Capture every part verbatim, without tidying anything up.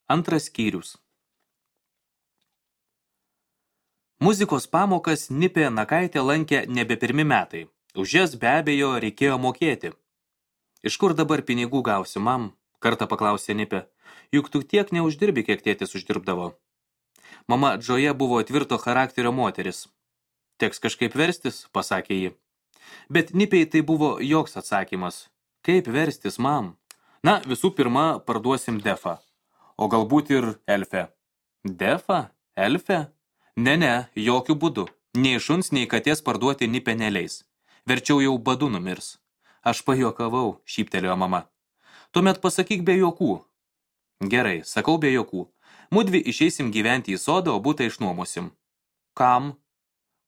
Antras skyrius. Muzikos pamokas Nipė Nakaitė lankė nebe pirmi metai. Už jas be abejo reikėjo mokėti. Iš kur dabar pinigų gausi, mam? Kartą paklausė Nipė. Juk tu tiek neuždirbi, kiek tėtis uždirbdavo. Mama Džoja buvo tvirto charakterio moteris. Teks kažkaip verstis, pasakė ji. Bet Nipei tai buvo joks atsakymas. Kaip verstis, mam? Na, visų pirma, parduosim defą. O galbūt ir elfę. Defą? Elfę? Ne, ne, jokių būdų. Nei šuns, nei katės parduoti Nipė neleis. Verčiau jau badu numirs. Aš pajuokavau, šyptelėjo mama. Tuomet pasakyk be juokų. Gerai, sakau be juokų. Mudvi išeisim gyventi į sodą, o butą išnuomosim. Kam?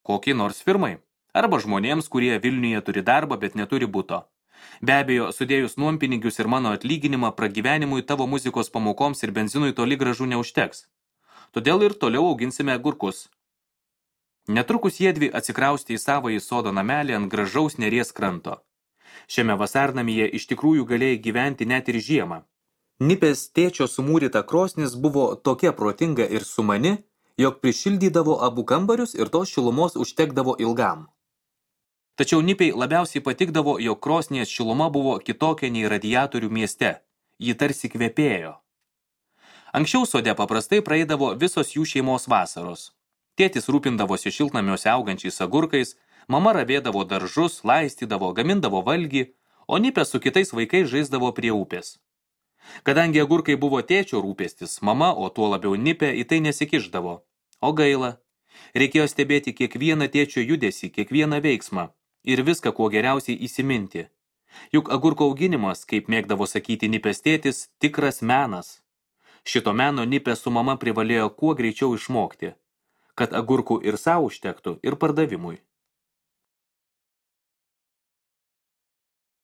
Kokiai nors firmai. Arba žmonėms, kurie Vilniuje turi darbą, bet neturi buto. Be abejo, sudėjus nuompinigius ir mano atlyginimą pragyvenimui tavo muzikos pamokoms ir benzinui toli gražu neužteks. Todėl ir toliau auginsime agurkus. Netrukus jiedvi atsikraustė į savąjį sodo namelį ant gražaus Neries kranto. Šiame vasarnamyje iš tikrųjų galėjai gyventi net ir žiemą. Nipės tėčio sumūryta krosnis buvo tokia protinga ir sumani, jog prišildydavo abu kambarius ir tos šilumos užtekdavo ilgam. Tačiau Nipei labiausiai patikdavo, jog krosnies šiluma buvo kitokia nei radiatorių mieste. Ji tarsi kvepėjo. Anksčiau sode paprastai praeidavo visos jų šeimos vasaros. Tėtis rūpindavosi šiltnamiuose augančiais agurkais, mama ravėdavo daržus, laistydavo, gamindavo valgį, o Nipė su kitais vaikais žaisdavo prie upės. Kadangi agurkai buvo tėčio rūpestis, mama, o tuo labiau Nipė, į tai nesikišdavo. O gaila. Reikėjo stebėti kiekvieną tėčio judesį, kiekvieną veiksmą ir viską kuo geriausiai įsiminti. Juk agurko auginimas, kaip mėgdavo sakyti Nipės tėtis, tikras menas. Šito meno Nipė su mama privalėjo kuo greičiau išmokti, kad agurkų ir sau užtektų, ir pardavimui.